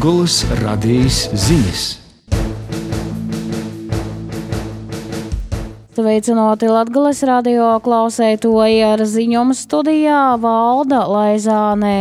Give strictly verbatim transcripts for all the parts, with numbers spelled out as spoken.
Latgolas radijas ziņas. Sveicināti Latgolas radio klausētoji, ar ziņojumu studijā Valda Laizānē.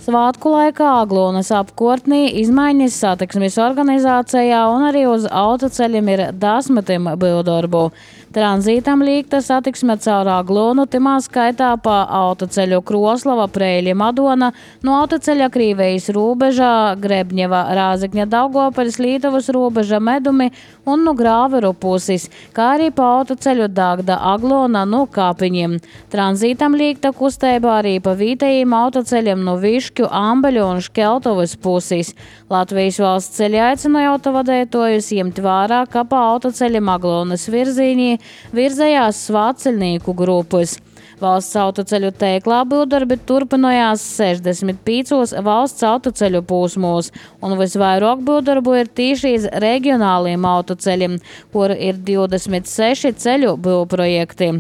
Svātku laikā Aglonas apkārtnī izmaiņas satiksmes organizācijā un arī uz autoceļiem ir desmitiem būvdarbu. Tranzītam līgta satiksme caur Aglonu, timā skaitā pa autoceļu Kroslava, Preiļa, Madona, no autoceļa Krīvejas robežā, Grebņeva, Rāzekņa, Daugopaļas, Lītuvas robeža, Medumi un no Grāveru puses, kā arī pa autoceļu Dagda, Aglona, no Kāpiņiem. Tranzītam līgta kustība arī pa vītējiem autoceļiem no Višķu, Ambeļu un Škeltovas puses. Latvijas valsts ceļa aicināja autovadētojus ņemt vērā, ka pa autoceļiem Aglonas virzīņī virzējās svāceļnieku grupas. Valsts autoceļu teiklā būvdarbi turpinājās sešdesmit piecos valsts autoceļu posmos, un visvairāk būvdarbu ir tieši iz reģionāliem autoceļiem, kur ir divdesmit seši ceļu būvprojekti.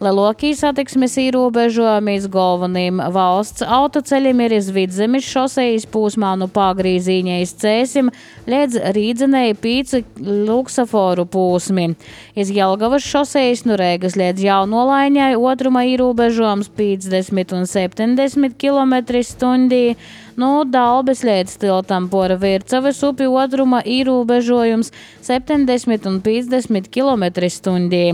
Lielākie satiksmes ierobežojumi iz galvenajiem valsts autoceļiem ir iz Vidzemes šosejas posmā no Pagrīzīņa iz Cēsim līdz Rīdzenei pīci luksaforu posmi. Iz Jelgavas šosejas no Rēgas līdz Jaunolaiņai otruma ierobežojums piecdesmit un septiņdesmit kilometri stundī. No Dalbes līdz tiltam pora Vircavas upi otruma ierobežojums septiņdesmit un piecdesmit kilometri stundī.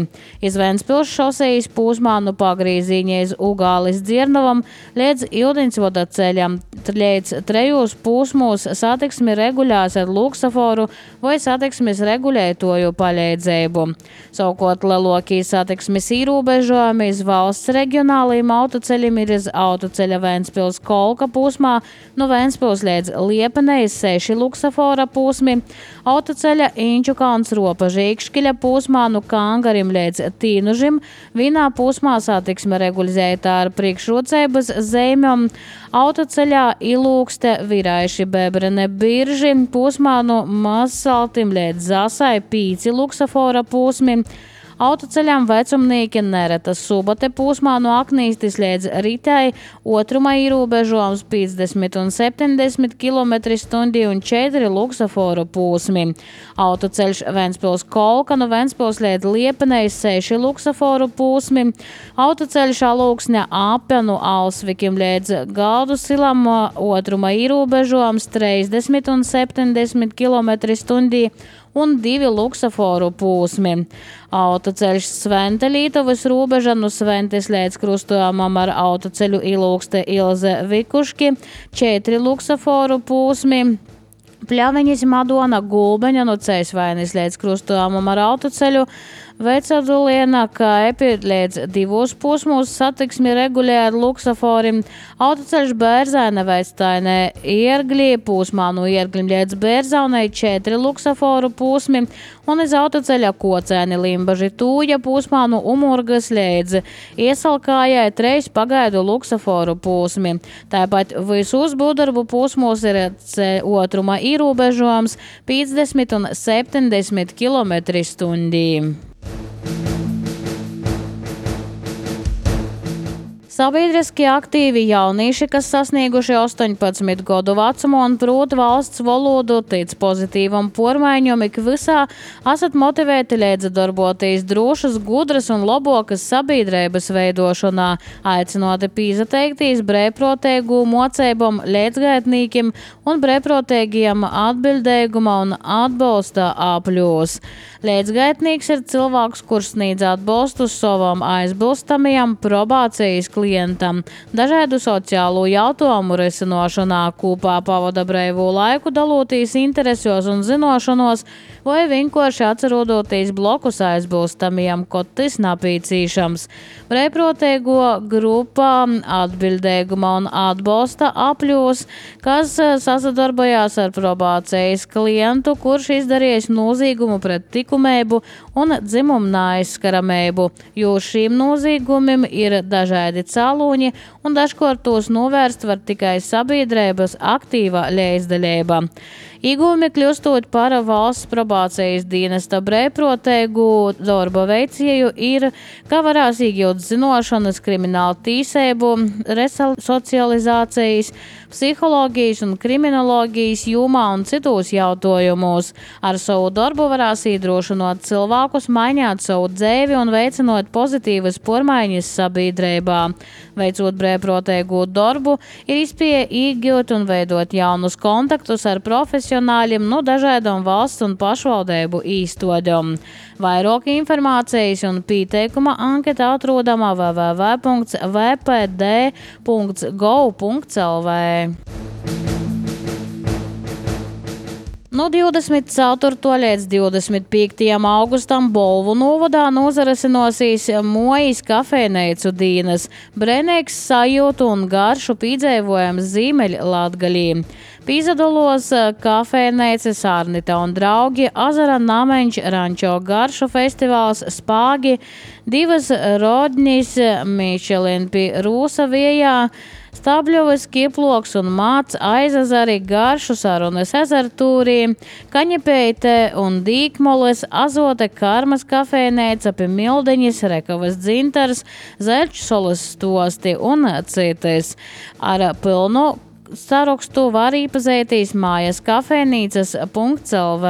Iz Ventspils šosejas posmā no Pagrīzīņa iz Ugālis Dzirnavam līdz Ildiņsvoda ceļam līdz trejos posmos satiksmi regulēs ar luksaforu vai satiksmes regulētoju palīdzību. Savukārt lielākie satiksmes ierobežojumi iz valsts reģionālajiem autoceļiem ir iz autoceļa Ventspils Kolka posmā no Ventspils līdz Liepenei seši luksafora posmi, autoceļa Inčukāns Ropa Žīkškiļa posmā no Kangarim līdz Tīnužim, vienā posmā satiksme regulēta ar priekšrocības zīmēm, autoceļā Ilūkste Viraiši Bebrene Birži posmā no Mazsaltim līdz Zasai pīci luksafora posmi, autoceļām Vecumnieki Neretas Subate posmā no Aknīstis līdz Ritai otruma ierobežojums piecdesmit un septiņdesmit kilometri stundī un četri luksaforu posmi. Autoceļš Ventspils Kolka no Ventspils līdz Liepenei seši luksaforu posmi. Autoceļš Alūksņa Ape no Alsvikim līdz Galdu silam otruma ierobežojums trīsdesmit un septiņdesmit kilometri stundī un divi luksaforu posmi. Autoceļš Svente Lītuvas robeža no Sventes līdz krustojumam ar autoceļu Ilūkste Ilze Vikuški, četri luksaforu posmi. Pļaviņas Madona Gulbeņa no Ceļsvainis līdz krustojumam ar autoceļu Vecadzuliena Kaipi līdz divos posmos satiksmi regulē ar luksaforim. Autoceļš Bērzaine Vectainē Iergļi posmā no Iergļim līdz Bērzaunei četri luksaforu posmi un iz autoceļa Kocēni Limbaži Tūja posmā no Umurgas līdz Iesalkājai treis pagaidu luksaforu posmi. Tāpat visos būvdarbu posmos ir otruma ierobežojums piecdesmit un septiņdesmit kilometri stundī. Sabiedriski aktīvi jaunieši, kas sasnieguši astoņpadsmit gadu vecumu un prot valsts valodu, tic pozitīvam pormaiņam ik visā, esat motivēti līdz darboties drošas, gudras un labokas sabiedrības veidošanā, aicinoti pīzateikties brēvprotēgu mocībam, līdzgaitnīkim un brēvprotēgiem atbildēguma un atbalsta apļos. Līdzgaitnīgs ir cilvēks, kurš sniedz atbalstu savam aizbilstamajam probācijas klientam, dažādu sociālo jautājumu risinošanā, kopā pavada brīvo laiku, daloties interesos un zinošanos, vai vienkārši atcerodoties blokus aizbilstamajam, kad tas napīcīšams. Brīvprotēgo grupa atbildēguma un atbalsta apļos, kas sasadarbojās ar probācijas klientu, kurš izdarījis nozīgumu pret likumību un dzimumu neaizskaramību, jo šīm nozīgumiem ir dažādi cēloņi un dažkārt tos novērst var tikai sabiedrības aktīva līdzdalība. Iegūmi kļūstot par valsts probācijas dienesta brīvprātīgu darba veicēju ir, ka varēs iegūt zināšanas kriminālu tīsību, resocializācijas, psiholoģijas un kriminoloģijas jomā un citos jautājumos. Ar savu darbu varēs iedrošināt cilvēkus mainīt savu dzīvi un veicinot pozitīvas pormaiņas sabiedrībā. Veicot brīvprātīgu darbu, ir iespēja iegūt un veidot jaunus kontaktus ar profesionāļiem no dažādām valsts un pašvaldību īstodām. Vairāk informācijas un pieteikuma anketa atrodama w w w punkts v p d punkts gov punkts l v. No divdesmit ceturtā līdz divdesmit piektajam augustam Bolvu novadā nozarasinosies Mojas kafejneicu dienas, brēnīgs sajūtu un garšu piedzīvojums Ziemeļlatgalī. Pīzadolos kafejneicis Arnita un draugi, Azara Nameņš rančo garšu festivāls Spāgi, divas rodņas Michelin pie Rūsa viejā, Stabļovas Kieploks un Māc Aizazari garšu sarunas ezertūrī, Kaņepeite un Dīkmoles, Azote Karmas kafejneica pie Mildeņas, Rekavas dzintars, Zeļčsolas stosti un citas. Ar pilnu sarakstu var iepazīties mājas kafejnīcas punkts l v.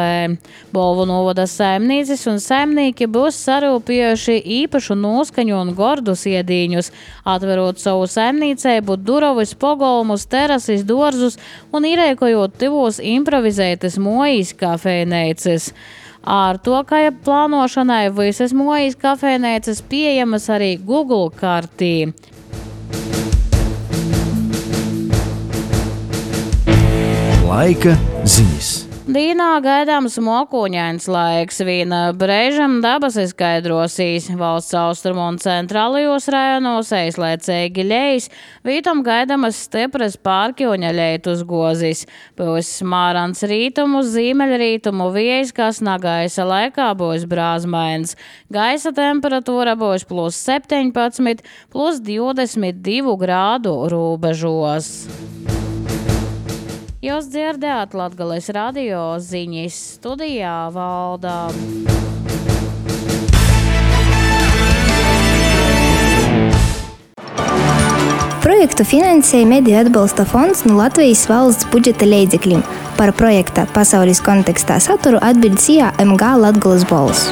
Bolvu novada saimnieces un saimnieki būs sarūpējuši īpašu noskaņu un gordus iedīņus, atverot savu saimniecību durovis, pogolmus, terasis, dorzus un ierēkojot tivos improvizētas Mojas kafejnīcas. Ar to, ka plānošanai visas Mojas kafejnīcas pieejamas arī Google kartī. Laika ziņas. Dīnā gaidāms mokoņains laiks, vīna brēžam dabas izskaidrosīs. Valsts austrumu un centrālajos rajonos eizlaicīgi ļejas, vītam gaidamas stipras pārkjoņa leitus gozis. Būs smārans rītumu, ziemeļrītumu viejas, kas nagaisa laikā būs brāzmains. Gaisa temperatūra būs plus septiņpadsmit, plus divdesmit divu grādu rūbežos. Jūs dzirdējāt Latgales radio ziņas, studijā Valdā. Projektu finansēja Mediju atbalsta fonds no Latvijas valsts budžeta līdzekļiem. Par projekta pasaules kontekstā saturu atbild C I A M G Latgales balss.